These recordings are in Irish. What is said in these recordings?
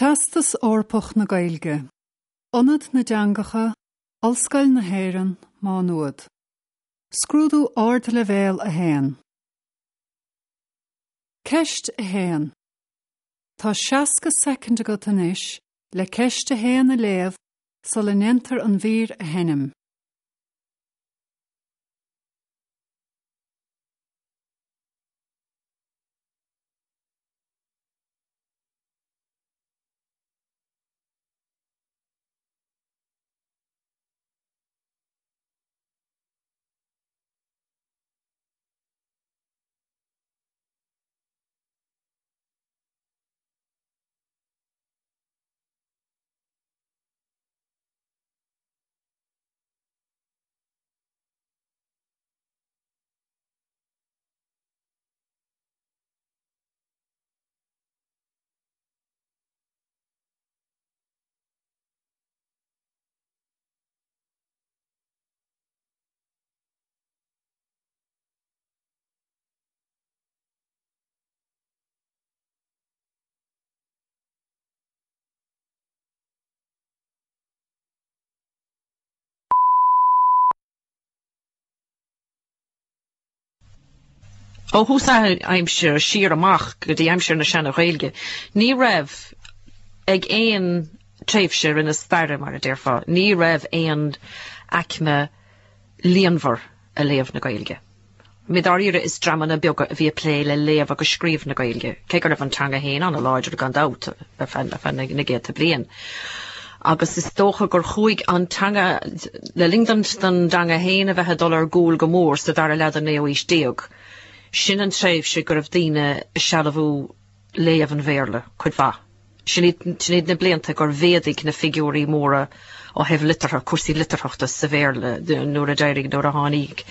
Teastas Eorpach na Gaeilge, Ionad na dTeangacha, Ollscoil na hÉireann, Má Nuad. Scrúdú Ardleibhéal 1. Ceist 1. Tá 60 soicind agat anois le ceist 1 a léamh sula ndéantar an mhír a sheinm. Ó thús aimsire siar amach go dtí aimsir na Seana-Ghaeilge, ní raibh ag aon tréimhse i rith na staire, mar a déarfá, ní raibh aon aicme líonmhar a léamh na Gaeilge. I ndáiríre is dreamanna beaga a bhí ag plé le léamh agus scríobh na Gaeilge, cé go raibh an teanga féin an-láidir gan dabht ar feadh na gcéadta bliain. Agus is dócha gur chuaigh an teanga, le linn don dteanga féin a bheith ag dul ar gcúl go mór sa dara leath den naoú haois déag, sin an tréimhse go raibh daoine ag sealbhú léamh an Bhéarla cuid mhaith. Sin iad, sin iad na blianta gur mhéadaigh na figiúirí móra ó thaobh liteartha, cúrsaí litearthachta sa Bhéarla nuair a d'éirigh, nuair a tháinig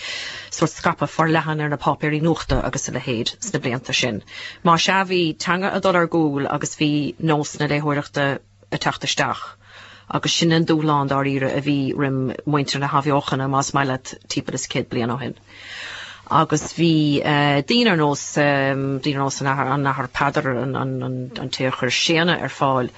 sórt scaipeadh forleathan ar na páipéirí nuachta agus a leithéid sna blianta sin. Más ea, bhí teanga ag dul ar gcúl agus bhí nós na léitheoireachta ag teacht isteach agus sin an dúshlán dáiríre a bhí roim muintir na hAthbheochana, más maith leat, timpeall is 100 bliain ó shin. Agus bhí daoine ar nós, daoine ar nós an Athar, an Athair Peadar, an, an, an, an té a chuir séanadh ar fáil,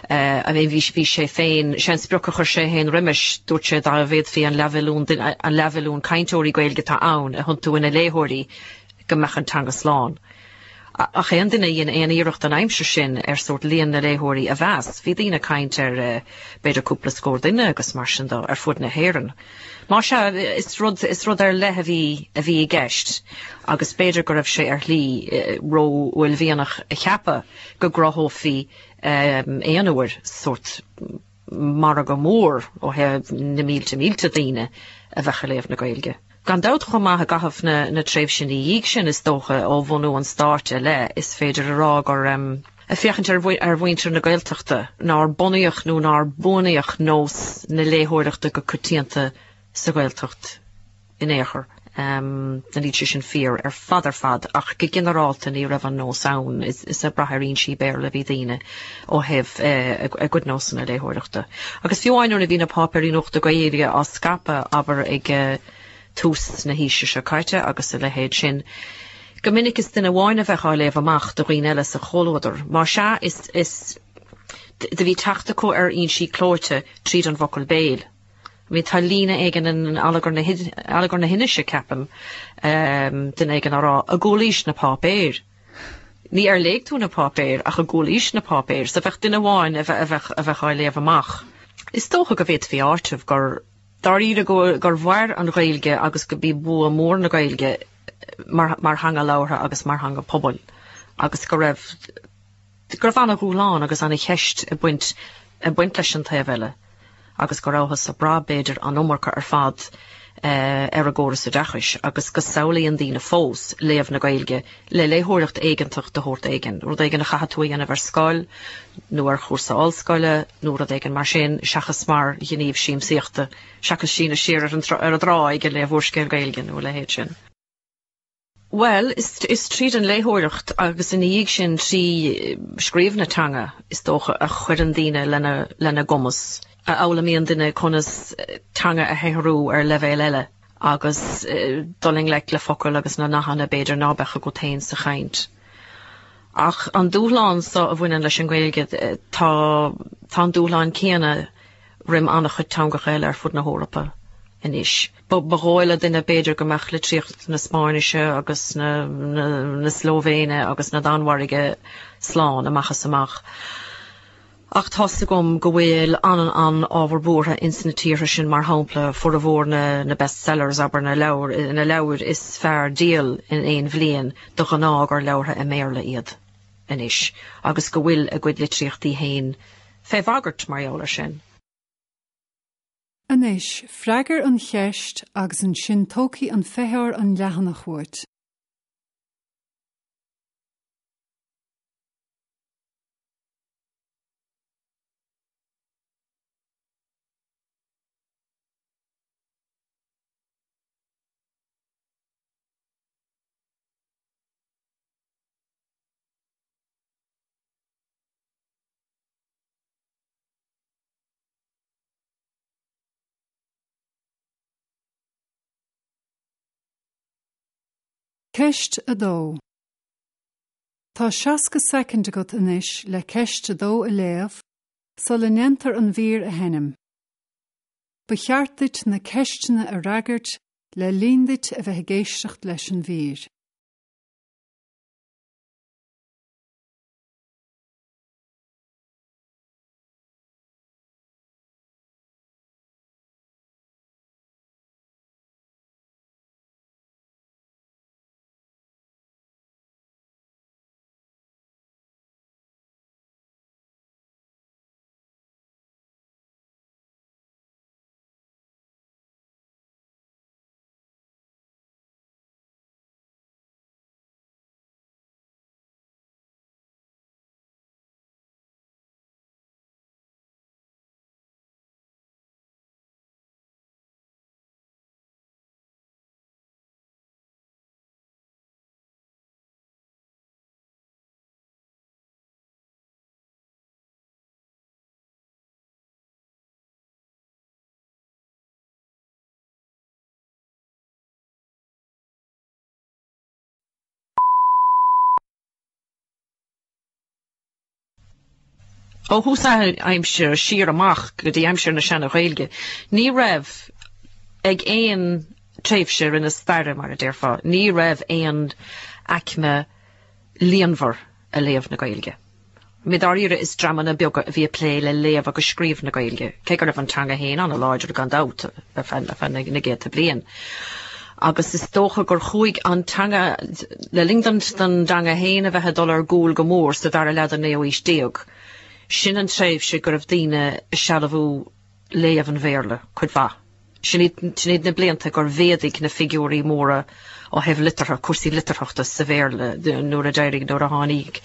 I mean bhí, bhí sé féin, sé an sprioc a chuir sé féin roimis, dúirt sé dá bhféadfaí an leathmhilliún duine, an leathmhilliún cainteoirí Gaeilge atá ann a thiontú ina léitheoirí go mbeadh an teanga slán. Ach aon duine a dhein aon iarracht an aimsir sin ar sórt líon na léitheoirí a mheas, bhí daoine ag caint ar b'fhéidir cúpla scór duine agus mar sin de ar fud na hÉireann. Más ea, is rud, is rud ar leith a bhí, a bhí i gceist agus b'fhéidir go raibh sé ar shlí ró-uaillmhianach a cheapadh go gcruthófaí aon uair sórt margadh mór ó thaobh na mílte mílte daoine a bheadh ag léamh na Gaeilge. Gan dabht chomh maith i gcaitheamh na tréimhse ina dhiaidh sin, is dócha, ó bhunú an stáit i leith, is féidir a rá gur, ag féachaint ar mhuintir na Gaeltachta, nár bunaíodh nó nár buanaíodh nós na léitheoireachta go coitianta sa Ghaeltacht in aon chor. Níl sé sin fíor ar fad ar fad ach go ginearálta ní raibh an nós ann, is ag brath ar fhoinsí Béarla a bhí daoine ó thaobh a gcuid nósanna léitheoireachta. Agus fiú amháin nuair a bhí na páipéirí nuachta Gaeilge á scaipeadh, abair, ag tús na haoise seo caite agus a leithéid sin, go minic is duine amháin a bheadh á léamh amach do dhaoine eile sa chomhluadar. Más ea, is, is, do bhí teacht acu ar fhoinsí clóite tríd an bhfocal béil. I mean, tá líne éigin in Allagar na, Allagar na hInise, ceapaim, duine éigin á rá, a gcualaís na páipéir. Ní ar léigh tú na páipéir ach a gcualaís na páipéir, so bheadh duine amháin a bheadh a bheadh á léamh amach. Is dócha go bhféadfaí a áiteamh gur dáiríre go gur mhair an Ghaeilge agus go b'í bua mór na Gaeilge mar mar theanga labhartha agus mar theanga pobail agus go raibh go raibh ana-dhúshlán agus ana-cheist ag baint ag baint leis an taobh eile agus go rabhthas ag brath b'fhéidir an iomarca ar fad ar an gcóras oideachais agus go samhlaíonn daoine fós léamh na Gaeilge le léitheoireacht éigeantach de shórt éigin, rud éigin a chaithfidh tú a dhéanamh ar scoil nó ar chúrsa ollscoile nó rud éigin mar sin seachas mar ghníomh siamsaíochta, seachas síneadh siar ar an ar an dtráigh ag léamh úrscéal Gaeilge nó a leithéid sin. Bhuel, is tríd an léitheoireacht agus ina dhiaidh sin trí scríobh na teanga, is dócha, a chuireann daoine lena gcumas, a fhoghlaimíonn duine conas teanga a shaothrú ar leibhéal eile agus dul i ngleic le focail agus na nathanna b'fhéidir ná beadh agat féin sa chaint. Ach an dúshlán so a bhaineann leis an nGaeilge, tá tá an dúshlán céanna roim an-chuid teangacha eile ar fud na hEorpa anois. Ba dhóigh le duine b'fhéidir go mbeadh litríocht na Spáinnise agus na na Slóivéine agus na Danmhairge slán amach is amach. Ach tá's agam go bhfuil an-an-ábhar buartha ins na tíortha sin, mar shampla, formhór na na best sellers, abair, na leabhair na leabhair is fearr díol in aon bhliain, de ghnáth gur leabhartha i mBéarla iad anois, agus go bhfuil a gcuid litríochtaí féin fé bhagairt mar gheall air sin. Anois, freagair an cheist agus ansin tógfaidh an feitheoir an leathanach uait. Ceist 2. Tá 60 soicind agat anois le ceist 2 a léamh sula ndéantar an mhír a sheinm. Ba cheart duit na ceisteanna a fhreagairt le linn duit a bheith ag éisteacht leis an mhír. Ó thús aimsire siar amach go dtí aimsir na Seana-Ghaeilge, ní raibh ag aon tréimhse i na staire, mar a déarfá, ní raibh aon aicme líonmhar a léamh na Gaeilge. I ndáiríre is dreamanna beaga a bhí ag plé le léamh agus scríobh na Gaeilge, cé go raibh an teanga féin an-láidir gan dabht ar feadh na gcéadta bliain. Agus is dócha gur chuaigh an teanga, le linn don dteanga féin a bheith ag dul ar gcúl go mór sa dara leath den naoú haois déag, sin an tréimhse go raibh daoine ag sealbhú léamh an Bhéarla cuid mhaith. Sin iad na blianta gur mhéadaigh na figiúirí móra ó thaobh liteartha, cúrsaí litearthachta sa Bhéarla nuair a d'éirigh, nuair a tháinig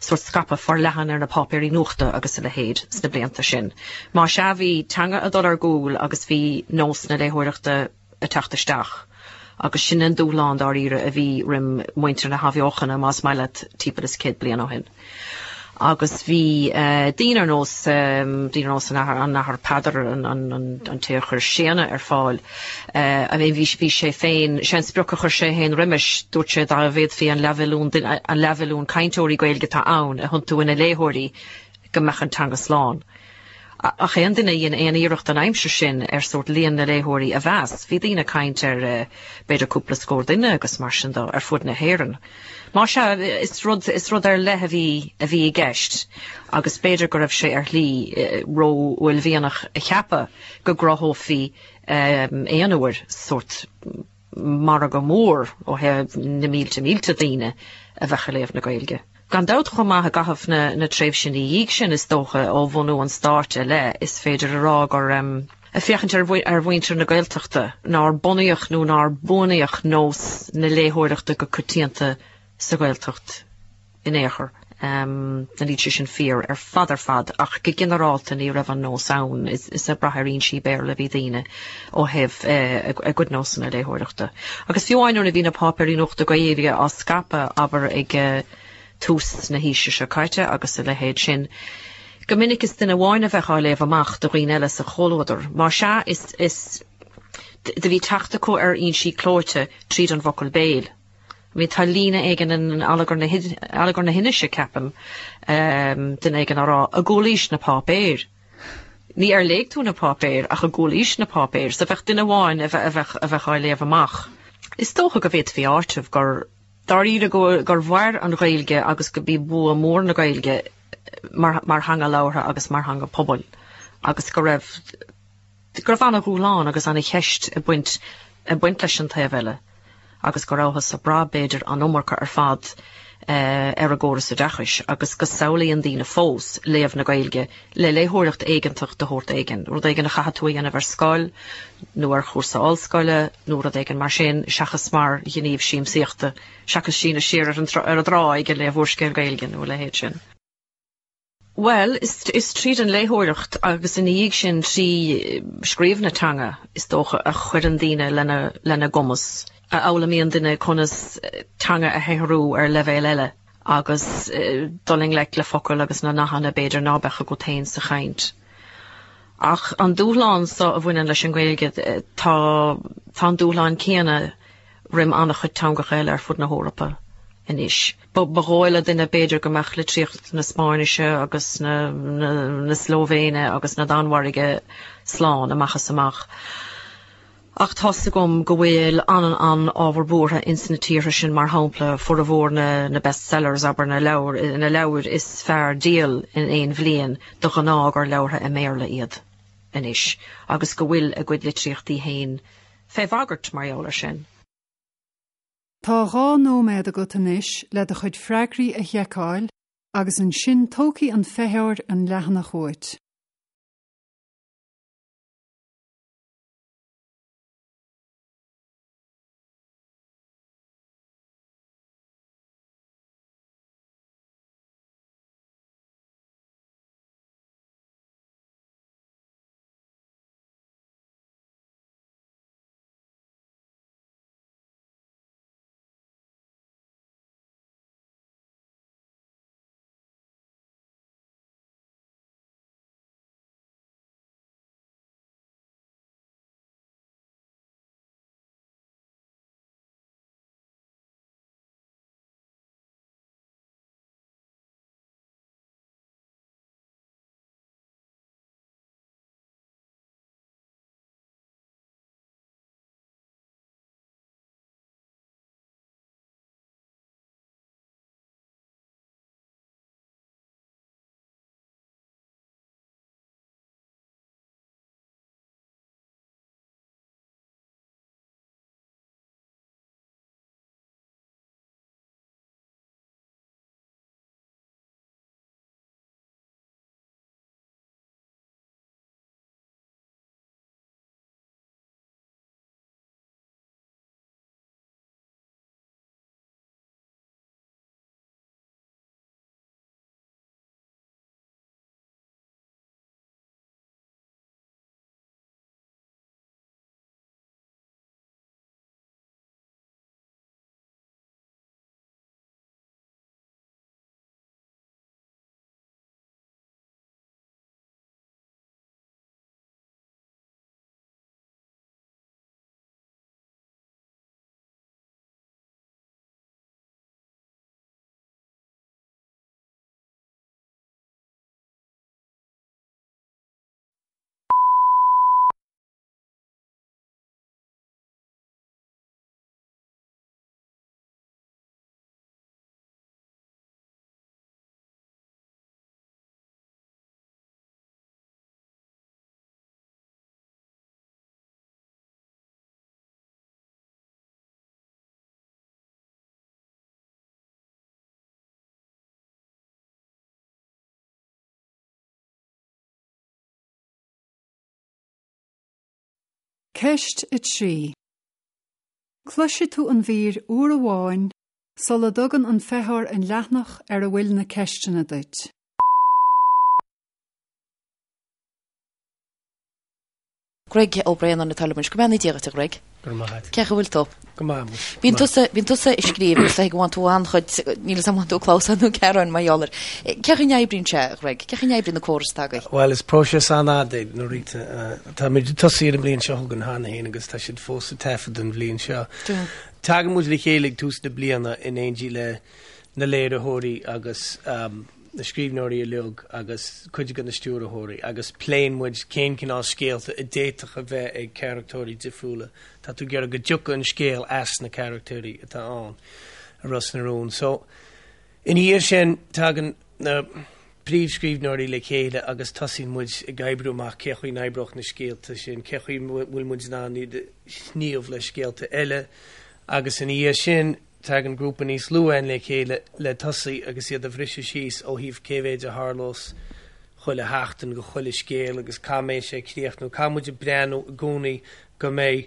sórt scaipeadh forleathan ar na páipéirí nuachta agus a leithéid sna blianta sin. Más ea, bhí teanga ag dul ar gcúl agus bhí nós na léitheoireachta ag teacht isteach agus sin an dúshlán dáiríre a bhí roim muintir na hAthbheochana, más maith leat, timpeall is 100 bliain ó shin. Agus bhí daoine ar nós, daoine ar nós an Athar, an Athar Peadar, an té a chuir Séanna ar fáil, I mean bhí, bhí sé féin, sé an sprioc a chuir sé féin roimis, dúirt sé dá bhféadfaí an leathmhilliún duine, an leathmhilliún cainteoirí Gaeilge atá ann a thiontú ina léitheoirí go mbeadh an teanga slán. Ach aon duine a dhein aon iarracht an aimsir sin ar sórt líon na léitheoirí a mheas, bhí daoine ag caint ar b'fhéidir cúpla scór duine agus mar sin de ar fud na hÉireann. Más ea, is rud, is rud ar leith a bhí, a bhí i gceist agus b'fhéidir go raibh sé ar shlí ró-uaillmhianach a cheapadh go gcruthófaí aon uair sórt margadh mór ó thaobh na mílte mílte daoine a bheadh ag léamh na Gaeilge. Gan dabht chomh maith i gcaitheamh na na tréimhse ina dhiaidh sin is dócha ó bhunú an stáit i leith is féidir a rá gur, ag féachaint ar ar mhuintir na Gaeltachta, nár bunaíodh nó nár buanaíodh nós na léitheoireachta go coitianta sa Ghaeltacht. in aon chor. Níl sé sin fíor ar fad ar fad ach go ginearálta ní raibh an nós ann, is ag brath ar fhoinsí Béarla a bhí daoine ó thaobh a gcuid nósanna léitheoireachta. Agus fiú amháin nuair a bhí na páipéirí nuachta Gaeilge á scaipeadh, abair ag tús na haoise seo caite agus a leithéid sin, go minic is duine amháin a bheadh á léamh amach do dhaoine eile sa chomhluadar. Más ea, is do bhí teacht acu ar fhoinsí clóite tríd an bhfocal béil. I mean, tá líne éigin in Allagar na Allagar na hInise, ceapaim, duine éigin á rá, an gcualaís na páipéir. Ní ar léigh tú na páipéir ach an gcualaís na páipéir, so bheadh duine amháin a bheadh a bheadh á léamh amach. Is dócha go bhféadfaí áiteamh gur dáiríre go gur mhair an Ghaeilge agus go b'í bua mór na Gaeilge mar mar theanga labhartha agus mar theanga pobail agus go raibh go raibh ana-dhúshlán agus ana-cheist ag baint ag baint leis an taobh eile agus go rabhthas ag brath b'fhéidir an iomarca ar fad ar an gcóras oideachais agus go samhlaíonn daoine fós léamh na Gaeilge le léitheoireacht éigeantach de shórt éigin, rud éigin a chaithfidh tú a dhéanamh ar scoil nó ar chúrsa ollscoile nó rud éigin mar sin seachas mar ghníomh siamsaíochta, seachas síneadh siar ar an ar an dtráigh ag léamh úrscéal Gaeilge nó a leithéid sin. Bhuel, is tríd an léitheoireacht agus ina dhiaidh sin trí scríobh na teanga, is dócha, a chuireann daoine lena gcumas, a fhoghlaimíonn duine conas teanga a shaothrú ar leibhéal eile agus dul i ngleic le focail agus na nathanna b'fhéidir ná beadh agat féin sa chaint. Ach an dúshlán so a bhaineann leis an nGaeilge, tá an dúshlán céanna roim an-chuid teangacha eile ar fud na hEorpa anois. Ba dhóigh le duine b'fhéidir go mbeadh litríocht na Spáinnise agus na na Slóivéine agus na Danmhairge slán amach is amach. Ach tá's agam go bhfuil an-an-ábhar buartha ins na tíortha sin, mar shampla, formhór na na bestsellers, abair, na leabhair na leabhair is fearr díol in aon bhliain, de ghnáth gur leabhartha i mBéarla iad anois agus go bhfuil a gcuid litríochtaí féin fé bhagairt mar gheall air sin. Tá 2 nóiméad agat anois le do chuid freagraí a sheiceáil agus ansin tógfaidh an feitheoir an leathanach uait. Ceist 3. Cloisfidh tú an mhír uair amháin sula dtugann an feitheoir an leathanach ar a bhfuil na ceisteanna duit. Greg Ó Braonáin atá liom anois. Go mbeannaí Dia dhuit, a Ghreg. Go raibh maith agat. Cén chaoi a bhfuil tú? Go maith muid. Bíonn tusa, bíonn tusa ag scríobh agus go bhfaigheann tú an-chuid, níl a fhios agam an bhfaigheann tú clamhsáin nó gearáin mar gheall air. Cén chaoi a n-oibríonn sé, a Ghreg? Cén chaoi a n-oibríonn an córas atá agaibh? Bhuel, is próiseas an-fhada é, a Rita. Tá muid ag tosaí ar an mbliain seo chugainn cheana féin agus tá siad fós ag taifead don bhliain seo. Tagann muid le chéile ag tús na bliana in éindí le na léiritheoirí agus na scríbhneoirí uilig agus cuid de na stiúrthóirí agus pléann muid cén cineál scéalta a d'fhéadfadh a bheith ag carachtóirí difriúla. Tá tú ag iarraidh go dtiocfadh an scéal as na carachtóirí atá ann i Ros na Rún. So, ina dhiaidh sin, tagann na príomhscríbhneoirí le chéile agus tosaíonn muid ag oibriú amach cé chaoi n-oibreodh na scéalta sin, cé chaoi bhfuil muid in ann iad a shníomh le scéalta eile agus ina dhiaidh sin, Tagann grúpa níos lú againn le chéile le tosaí agus iad a bhriseadh síos ó thaobh cé mhéid a tharlós chuile sheachtain go chuile scéal agus cá mbeidh sé ag críochnú. Caithfidh muid ag breathnú i gcónaí go mbeidh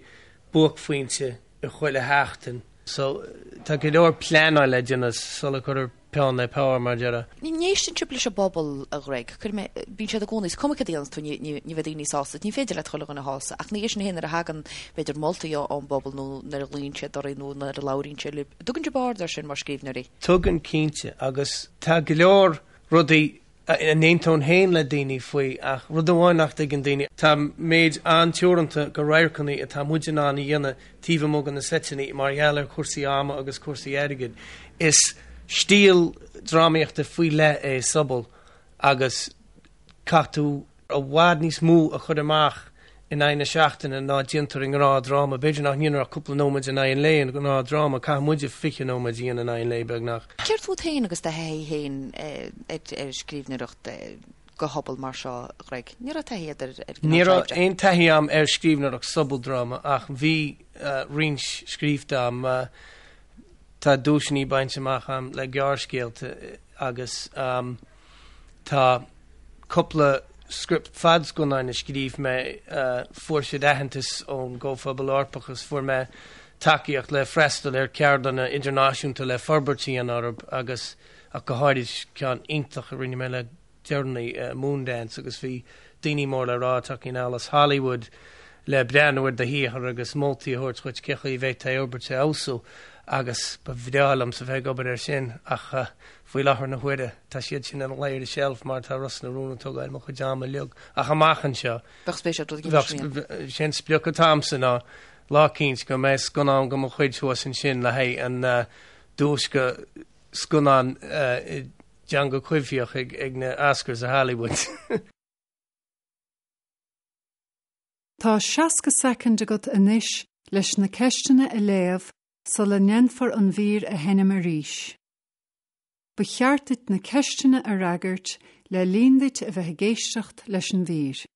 buaicphointe i chuile sheachtain. So tá go leor pleanáil le déanamh sula gcuirtear peann le pár, mar a déarfá. An éisteann sibh leis an bpobal, a Ghreg. Cuirfidh mé, bíonn siad i gcónaí, is cuma cad a dhéananns tú, ní, ní, ní bheidh daoine sásta, ní féidir leat chuile dhuine a shásamh, ach ina dhiaidh sin féin nuair a thagann, b'fhéidir, moltaí ón bpobal nó nuair a ghlaonn siad oraibh nó nuair a labhraíonn siad libh, dtugann sibh aird air sin mar scríbhneoirí? Tugann, cinnte, agus tá go leor rudaí a n-aontóinn féin le daoine faoi, ach rud amháin nach dtuigeann daoine, tá méid an-teoranta de radharcanna atá muid in ann a dhéanamh taobh amuigh de na seiteanna mar gheall ar chúrsaí ama agus cúrsaí airgid. Is stíl drámaíochta faoi leith é sobal agus caithfidh tú i bhfad níos mó a chur amach in aghaidh na seachtaine ná déantar i ngnáthdhráma. B'fhéidir nach ndéantar ach cúpla nóiméad in aghaidh an lae i ngnáthdhráma, caithfidh muide 20 nóiméad a dhéanamh in aghaidh an lae, beagnach. Céard fút féin agus do thaithí féin ar scríbhneoireacht do shobal mar seo, a Ghreg? Ní raibh taithí agat ar ar Ní raibh aon taithí agam ar scríbhneoireacht sobaldráma ach bhí roinnt scríofa agam. Tá duaiseanna bainte amach agam le gearrscéalta agus tá cúpla script fadscannáin a scríobh mé, fuair siad aitheantas ón gComhphobal Eorpach agus fuair mé tacaíocht le freastal ar ceardlanna idirnáisiúnta le forbairt a dhéanamh orthu agus ach go háirid ceann iontach a rinne mé le deireanaí, Moondance, agus bhí daoine mór le rá tagtha anall as Hollywood le breathnú ar do shaothar agus moltaí a thabhairt dhuit cé chaoi a bhféadfá é a fhorbairt a fheabhsú agus ba bhreá liomsa bheith ag obair air sin ach faoi láthair na huaire tá siad sin ina luí ar an tseilf mar tá Ros na Rún ag tógáil mo chuid ama uilig ach amach anseo Bheadh spéis agat rud éigin mar sin a dhéanamh. Sé an sprioc atá agamsa ná lá eicínt go mbeidh scannán de mo chuid thuas ansin le haghaidh an duais do scannán i dteanga coimhthíoch ag na Oscars i Hollywood. Tá 60 soicind agat anois leis na ceisteanna a léamh sula ndéanfar an mhír a sheinm arís. Ba cheart duit na ceisteanna a fhreagairt le linn duit a bheith ag éisteacht leis an mhír.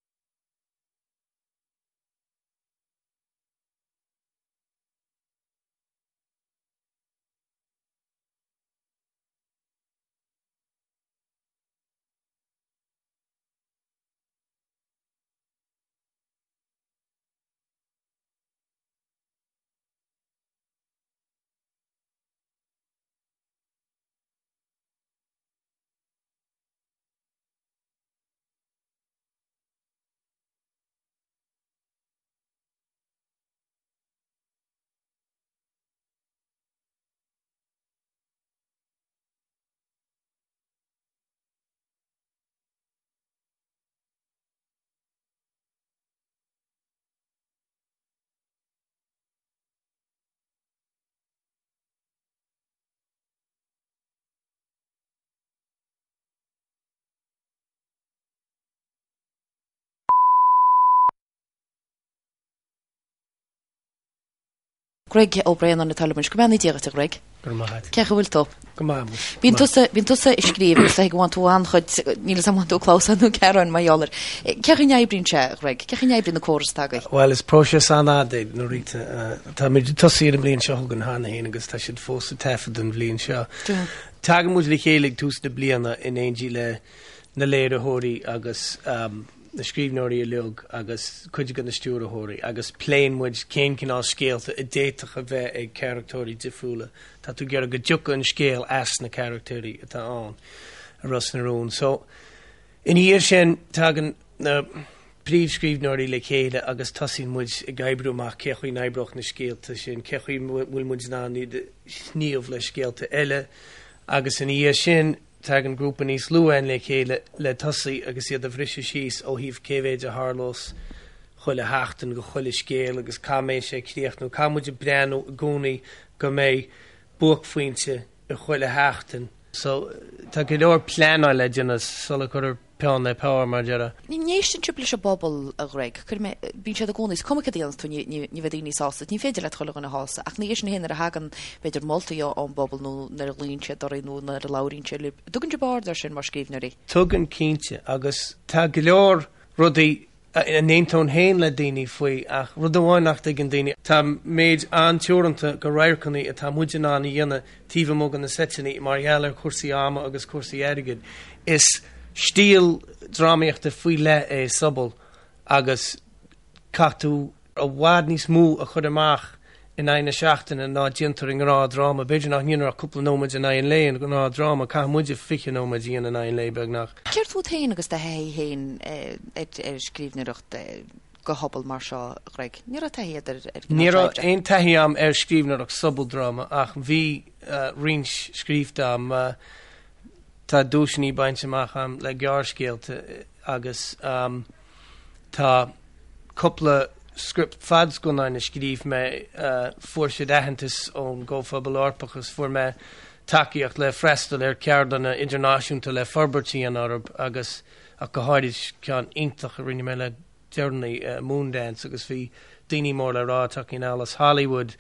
Greg Ó Braonáin atá liom anois. Go mbeannaí Dia dhuit, a Ghreg. Go raibh maith agat. Cén chaoi a bhfuil tú? Go maith muid. Bíonn tusa, bíonn tusa ag scríobh agus go bhfaigheann tú an-chuid, níl a fhios agam an bhfaigheann tú clamhsáin nó gearáin mar gheall air. Cén chaoi a n-oibríonn sé, a Ghreg? Cén chaoi a n-oibríonn an córas atá agaibh? Bhuel, is próiseas an-fhada é, a Rita. Tá muid ag tosaí ar an mbliain seo chugainn cheana féin agus tá siad fós ag taifead don bhliain seo. Tagann muid le chéile ag tús na bliana in éindí le na léiritheoirí agus na scríbhneoirí uilig agus cuid de na stiúrthóirí agus pléann muid cén cineál scéalta a d'fhéadfadh a bheith ag carachtóirí difriúla. Tá tú ag iarraidh go dtiocfadh an scéal as na carachtóirí atá ann i Ros na Rún. So, ina dhiaidh sin, tagann na. príomhscríbhneoirí le chéile agus tosaíonn muid ag oibriú amach cé chaoi n-oibreodh na scéalta sin, cé chaoi bhfuil muid in ann iad a shníomh le scéalta eile agus ina dhiaidh sin tagann grúpa níos lú againn le chéile le tosaí agus iad a bhriseadh síos ó thaobh cé mhéid a tharlós chuile sheachtain go chuile scéal agus cá mbeidh sé ag críochnú. Caithfidh muid breathnú i gcónaí go mbeidh buaicphointe i chuile sheachtain. So tá go leor pleanáil le déanamh sula gcuirtear peann le pár, mar a déarfá. An n-éisteann sibh leis an bpobal, a Ghreg. Cuirfidh mé, bíonn siad i gcónaí, is cuma cad a dhéanas tú, ní, ní, ní bheidh daoine sásta, ní féidir leat chuile dhuine a shásamh, ach ina dhiaidh sin féin nuair a thagann, b'fhéidir, moltaí ón bpobal nó nuair a ghlaonn siad oraibh nó nuair a labhraíonn siad libh, dtugann sibh aird air sin mar scríbhneoirí? Tugann, cinnte, agus tá go leor rudaí a n-aontóinn féin le daoine faoi, ach rud amháin nach dtuigeann daoine, tá méid an-teoranta de radharcanna atá muid in ann a dhéanamh taobh amuigh de na seiteanna mar gheall ar chúrsaí ama agus cúrsaí airgid. Is stíl drámaíochta faoi leith é sobal agus caithfidh tú i bhfad níos mó a chur amach in aghaidh na seachtaine ná déantar i ngnáthdhráma. B'fhéidir nach ndéantar ach cúpla nóiméad in aghaidh an lae i ngnáthdhráma, caithfidh muide 20 nóiméad a dhéanamh in aghaidh an lae, beagnach. Céard fút féin agus do thaithí féin ar scríbhneoireacht do shobal mar seo, a Ghreg? Ní raibh taithí agat ar ar Ní raibh aon taithí agam ar scríbhneoireacht sobaldráma ach bhí roinnt scríofa agam. Tá duaiseanna bainte amach agam le gearrscéalta agus tá cúpla script fadscannáin a scríobh mé, fuair siad aitheantas ón gComhphobal Eorpach agus fuair mé tacaíocht le freastal ar ceardlanna idirnáisiúnta le forbairt a dhéanamh orthu agus ach go háirid ceann iontach a rinne mé le deireanaí, Moondance, agus bhí daoine mór le rá tagtha anall as Hollywood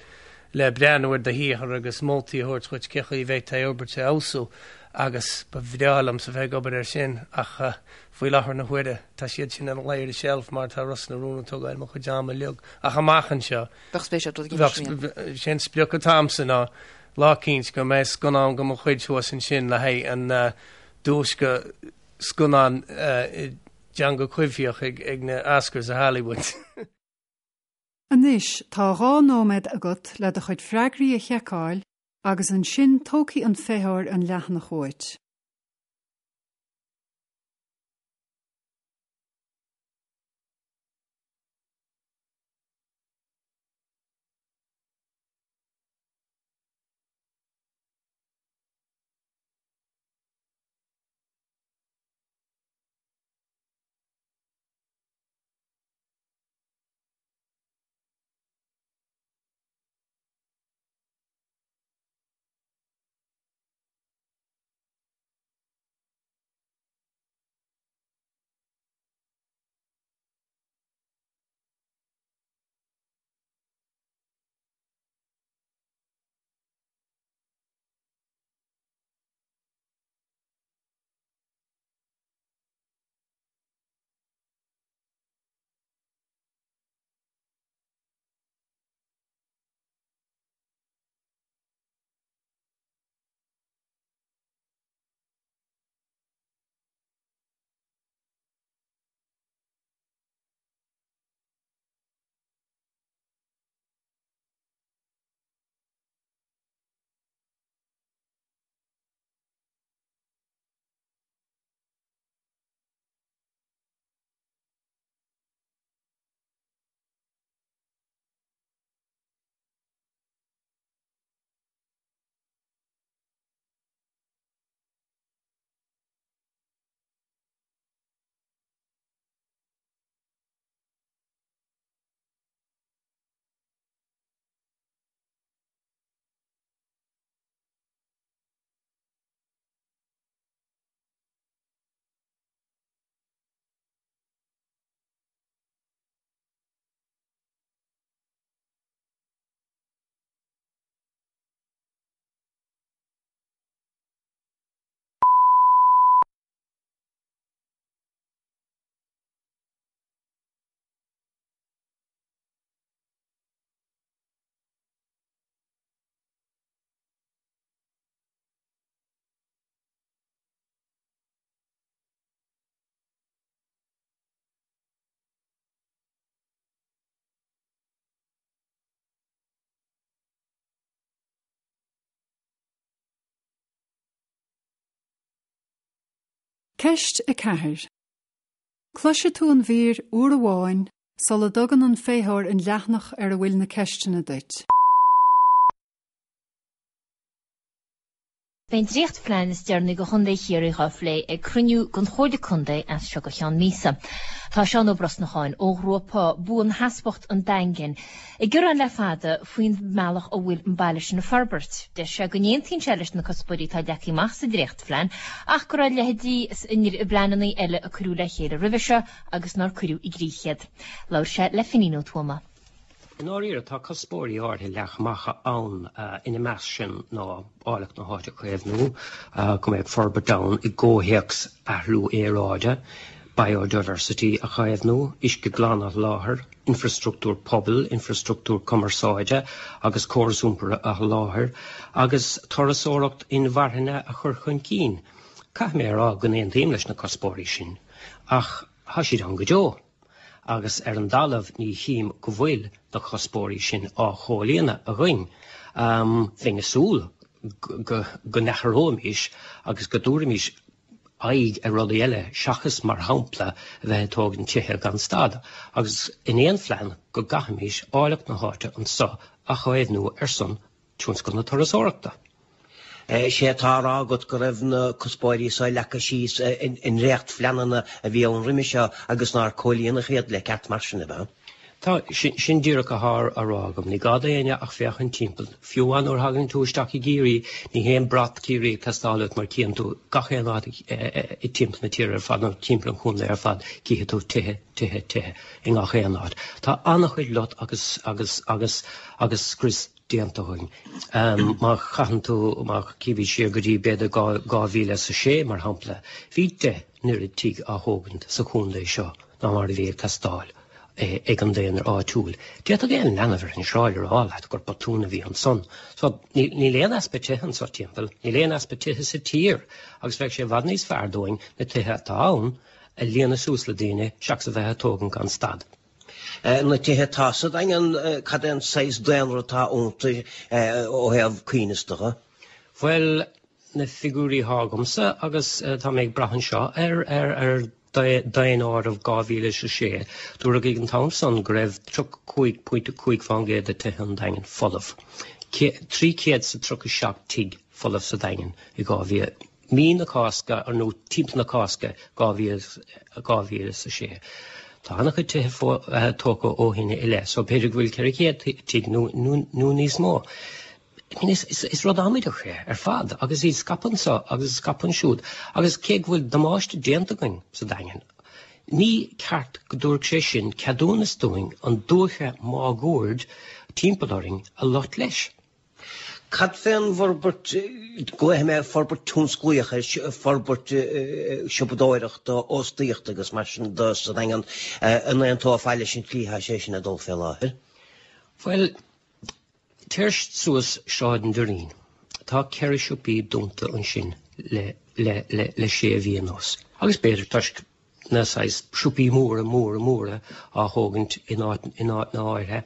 le breathnú ar do shaothar agus moltaí a thabhairt dhuit cé chaoi a bhféadfá é a fhorbairt a fheabhsú agus ba bhreá liomsa bheith ag obair air sin ach faoi láthair na huaire tá siad sin ina luí ar an tseilf mar tá Ros na Rún ag tógáil mo chuid ama uilig ach amach anseo Bheadh spéis agat rud éigin mar sin. Sé an sprioc atá agamsa ná lá eicínt go mbeidh scannán de mo chuid thuas ansin le haghaidh an duais do scannán i dteanga coimhthíoch ag na Oscars i Hollywood. Anois tá 2 nóiméad agat le do chuid freagraí a sheiceáil agus ansin tógfaidh an feitheoir an leathanach uait. Ceist 4. Cloisfidh tú an mhír uair amháin sula dtugann an feitheoir an leathanach ar a bhfuil na ceisteanna duit. Beidh an dréachtphlean is deireanaí do Chontae Chiarraí dhá phlé ag cruinniú den Chomhairle Contae as seo go ceann míosa. Tá Seán Ó Brosnacháin ó ghrúpa Buansheasmhacht an Daingin ag gearán le fada faoin mbealach a bhfuil an baile sin ag forbairt. Deir sé go n-aontaíonn sé leis na cuspóirí atá leagtha amach sa dréachtphlean ach go raibh a leithéidí i bpleananna eile a cuireadh le chéile roimhe seo agus nár cuireadh i gcrích iad. Labhair sé le Finín Ó Tuama. I ndáiríre, tá cuspóirí áirithe leagtha amach ann, ina measc sin ná áilleacht na háite a chaomhnú, go mbeadh forbairt ann i gcomhthéacs athrú aeráide, biodiversity a chaomhnú, uisce glan a sholáthar, infreastruchtúr pobail, infreastruchtúr cumarsáide agus córas iompair a sholáthar, agus turasóireacht inmharthana a chur chun cinn. Caithfidh mé a rá go n-aontaím leis na cuspóirí sin, ach tá siad ann go deo. agus ar an dtalamh ní chím go bhfuil na cuspóirí sin á chomhlíonadh againn. Bheinn ag súil go n-athróimis agus go dtabharfaimis aghaidh ar rudaí eile seachas, mar shampla, a bheith ag tógaint tithe gan stad, agus in aon phlean go gcaithfimis áilleacht na háite anso a chaomhnú ar son tionscal na turasóireachta. Is é atá á rá agat go raibh na cuspóirí so leagtha síos i ndréachtphleananna a bhí ann roimhe seo agus nár comhlíonadh iad le ceart mar sin, ab ea? Tá, sin díreach atá á rá agam. Ní gá d'éinne ach féachaint timpeall. Fiú amháin nuair a thagann tú isteach i gCiarraí, ní haon brat Ciarraí ag teastáil uait mar cíonn tú gach aon áit i timpeall na tíre ar fad nó timpeall an chontae ar fad, cífidh tú tithe, tithe, tithe i ngach aon áit. Tá an-chuid lot agus, agus, agus, agus scrios déanta againn. Má chaitheann tú, má chímid siar go dtí b'fhéidir 2006 mar shampla, bhí 10 n-oiread tigh á thógaint sa chontae seo ná mar a bhí ag teastáil ag an daonra áitiúil. D'fhéadfadh aon leanbh ar an sráid a rá leat gur botún a bhí ansan. So, níl aon easpa tithe anso timpeall, níl aon easpa tithe sa tír agus bheadh sé i bhfad níos fearr dúinn na tithe atá ann a líonadh suas le daoine seachas a bheith ag tógaint gan stad. Na tithe atá sa Daingean, cad é an saghas daonra atá iontu ó thaobh coibhneasta de? Bhuel, na figiúirí atá agamsa, agus tá mé ag brath anseo ar daonáireamh 2006, dúradh ag an t-am san go raibh 35.5% de tithe an Daingin folamh. 337 tigh folamh sa Daingean i 2000. Mí na Cásca, nó timpeall na Cásca 2006. Tá an-chuid tithe tógtha ó shin i leith, so b'fhéidir go bhfuil 400 tigh nó níos mó. I mean, is rud amaideach é ar fad, agus iad scaipthe anso agus scaipthe ansiúd, agus cé go bhfuil damáiste déanta againn sa Daingean, ní ceart go dtabharfadh sé sin ceadúnas dúinn an dúiche máguaird timpeall orainn a lot leis. Cad fén bhforbairt, glaofaidh mé forbairt tionsclaíoch air, forbairt siopadóireachta, óstaíochta agus mar sin de sa Daingean, an aontófá leis an tslí atá sé sin ag dul fé láthair? Bhuel, téir suas Sráid an Doirín. Tá 4 siopaí dúnta ansin le, le, le, le sé mhí anuas. Agus b'fhéidir toisc na saghas siopaí móra, móra, móra á thógaint in áit, in áiteanna áirithe.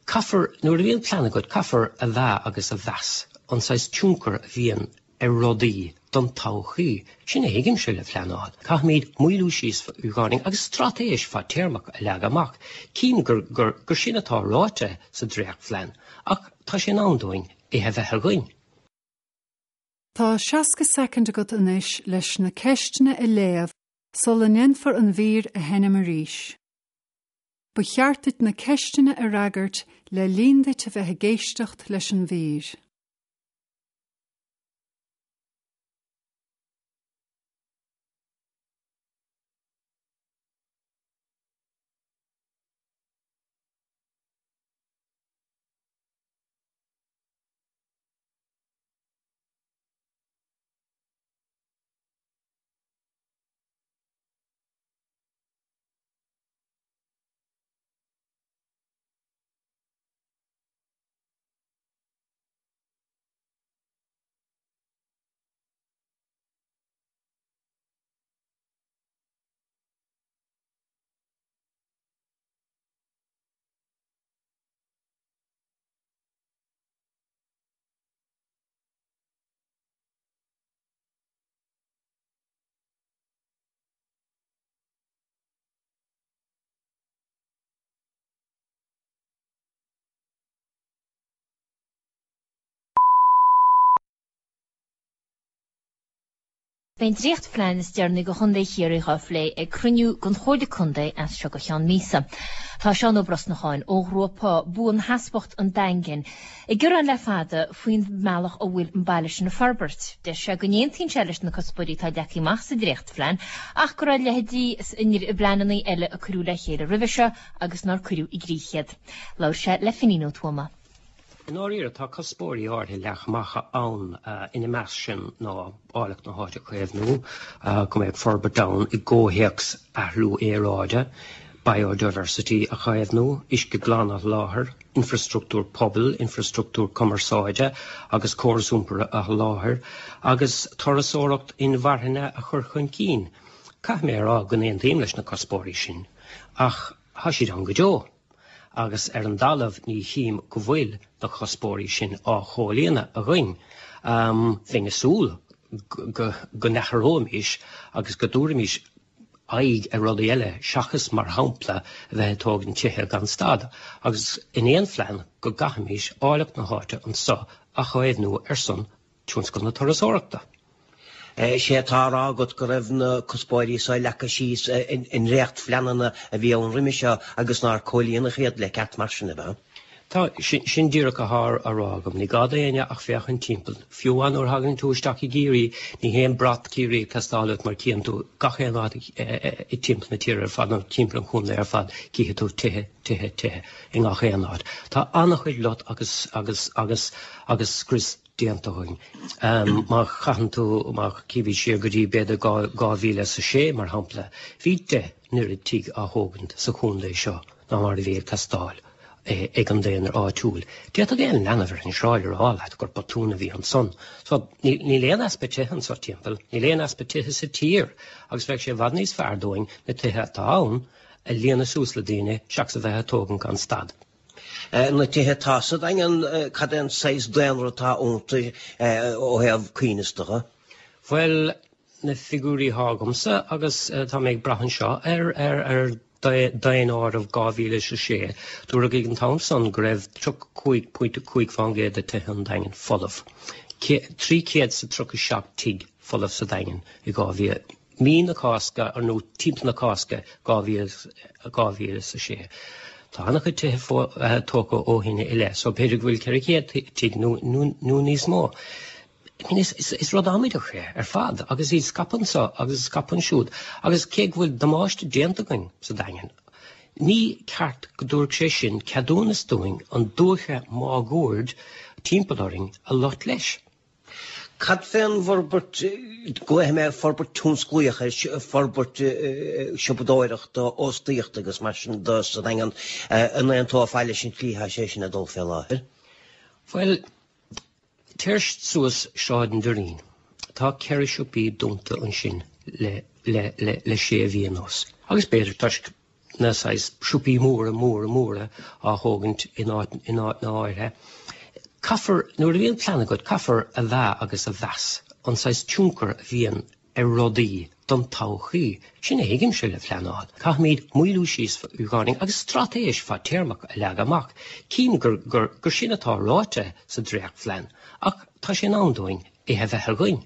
Caithfear, nuair a bhíonn plean agat, caithfear a mheá agus a mheas an saghas tionchar a bhíonn ar rudaí don todhchaí. Sin a thuigimse le pleanáil. Caithfimid maolú síos beagáinín agus straitéis fadtéarmach a leagadh amach. Cím gur, gur, gur sin atá ráite sa dréachtphlean ach tá sé in am dúinn é a bheith againn. Tá 60 soicind agat anois leis na ceisteanna a léamh sula ndéanfar an mhír a sheinm arís. Ba cheart duit na ceisteanna a fhreagairt le linn duit a bheith ag éisteacht leis an mhír. Beidh an dréachtphlean is deireanaí do Chontae Chiarraí dhá phlé ag cruinniú den Chomhairle Contae as seo go cheann míosa. Tá Seán Ó Brosnacháin ó ghrúpa Buansheasmhacht an Daingin ag gearán le fada faoin mbealach a bhfuil an baile sin ag forbairt. Deir sé go n-aontaíonn sé leis na cuspóirí atá leagtha amach sa dréachtphlean ach go raibh a leithéidí i bpleananna eile a cuireadh le chéile roimhe seo agus nár cuireadh i gcrích iad. Labhair sé le Finín Ó Tuama. I ndáiríre, tá cuspóirí áirithe leagtha amach ann, ina measc sin ná áilleacht na háite a chaomhnú, go mbeadh forbairt ann i gcomhthéacs athrú aeráide, biodiversity a chaomhnú, uisce glan a sholáthar, infreastruchtúr pobail, infreastruchtúr cumarsáide agus córas iompair a sholáthar, agus turasóireacht inmharthana a chur chun cinn. Caithfidh mé a rá go n-aontaím leis na cuspóirí sin, ach tá siad ann go deo. agus ar an dtalamh ní chím go bhfuil na cuspóirí sin á chomhlíonadh againn. Bheinn ag súil go n-athróimis agus go dtabharfaimis aghaidh ar rudaí eile seachas, mar shampla, a bheith ag tógaint tithe gan stad, agus in aon phlean go gcaithfimis áilleacht na háite anso a chaomhnú ar son tionscal na turasóireachta. Is é atá á rá agat go raibh na cuspóirí so leagtha síos i ndréachtphleananna a bhí ann roimhe seo agus nár comhlíonadh iad le ceart mar sin, ab ea? Tá, sin díreach atá á rá agam. Ní gá d'éinne ach féachaint timpeall. Fiú amháin nuair a thagann tú isteach i gCiarraí, ní haon brat Ciarraí ag teastáil uait mar cíonn tú gach aon áit i timpeall na tíre ar fad nó timpeall an chontae ar fad, cífidh tú tithe, tithe, tithe i ngach aon áit. Tá an-chuid lot agus, agus, agus, agus scrios déanta againn. Má chaitheann tú, má chímid siar go dtí b'fhéidir 2006 mar shampla, bhí 10 n-oiread tigh á thógaint sa chontae seo ná mar a bhí ag teastáil ag an daonra áitiúil. D'fhéadfadh aon leanbh ar an sráid a rá leat gur botún a bhí ansan. So, níl aon easpa tithe anso timpeall, níl aon easpa tithe sa tír agus bheadh sé i bhfad níos fearr dúinn na tithe atá ann a líonadh suas le daoine seachas a bheith ag tógaint gan stad. Na tithe atá sa Daingean, cad é an saghas daonra atá iontu ó thaobh coibhneasta de? Bhuel, na figiúirí atá agamsa, agus tá mé ag brath anseo ar ar daonáireamh 2006, dúradh ag an t-am san go raibh 35.5% de tithe an Daingin folamh. 337 tigh folamh sa Daingean i 2000. Mí na Cásca, nó timpeall na Cásca 2006. Tá an-chuid tithe tógtha ó shin i leith, so b'fhéidir go bhfuil 400 tigh nó níos mó. I mean, is rud amaideach é ar fad, agus iad scaipthe anso agus scaipthe ansiúd, agus cé go bhfuil damáiste déanta againn sa Daingean, ní ceart go dtabharfadh sé sin ceadúnas dúinn an dúiche máguaird timpeall orainn a lot leis. Cad fén bhforbairt, glaofaidh mé forbairt tionsclaíoch air, forbairt siopadóireachta, óstaíochta agus mar sin de sa Daingean, an aontófá leis an tslí atá sé sin ag dul fé láthair? Bhuel, téir suas Sráid an Doirín, tá 4 siopaí dúnta ansin le, le, le, le sé mhí anuas. Agus b'fhéidir toisc na saghas siopaí móra, móra, móra á thógaint in áit, in áiteanna áirithe. Caithfear, nuair a bhíonn plean agat, caithfear a mheá agus a mheas an saghas tionchar a bhíonn ar rudaí don todhchaí. Sin a thuigimse le pleanáil. Caithfimid maolú síos beagáinín agus straitéis fadtéarmach a leagadh amach. Cím gur, gur, gur sin atá ráite sa dréachtphlean ach tá sé in am dúinn é a bheith againn.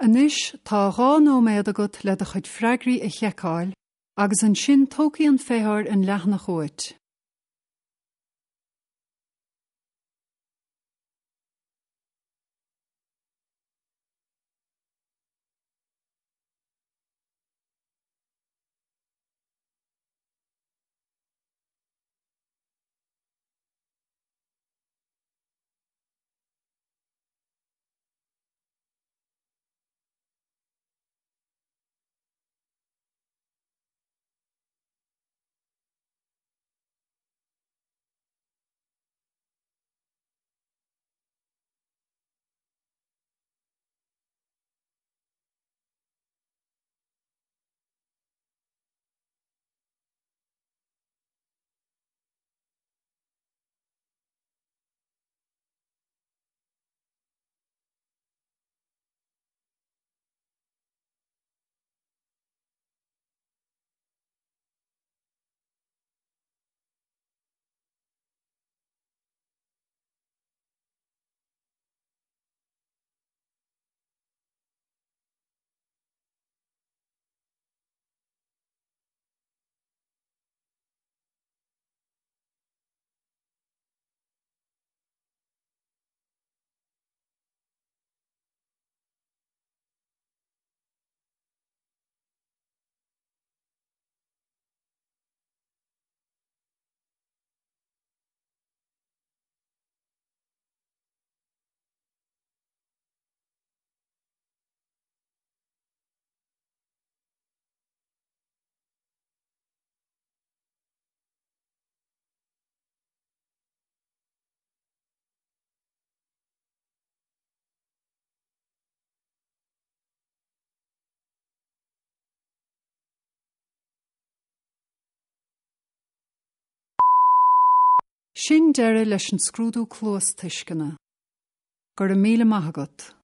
Anois tá 2 nóiméad agat le do chuid freagraí a sheiceáil agus ansin tógfaidh an feitheoir an leathanach uait. Sin deireadh leis an scrúdú cluastuisceana. Go raibh míle maith agat.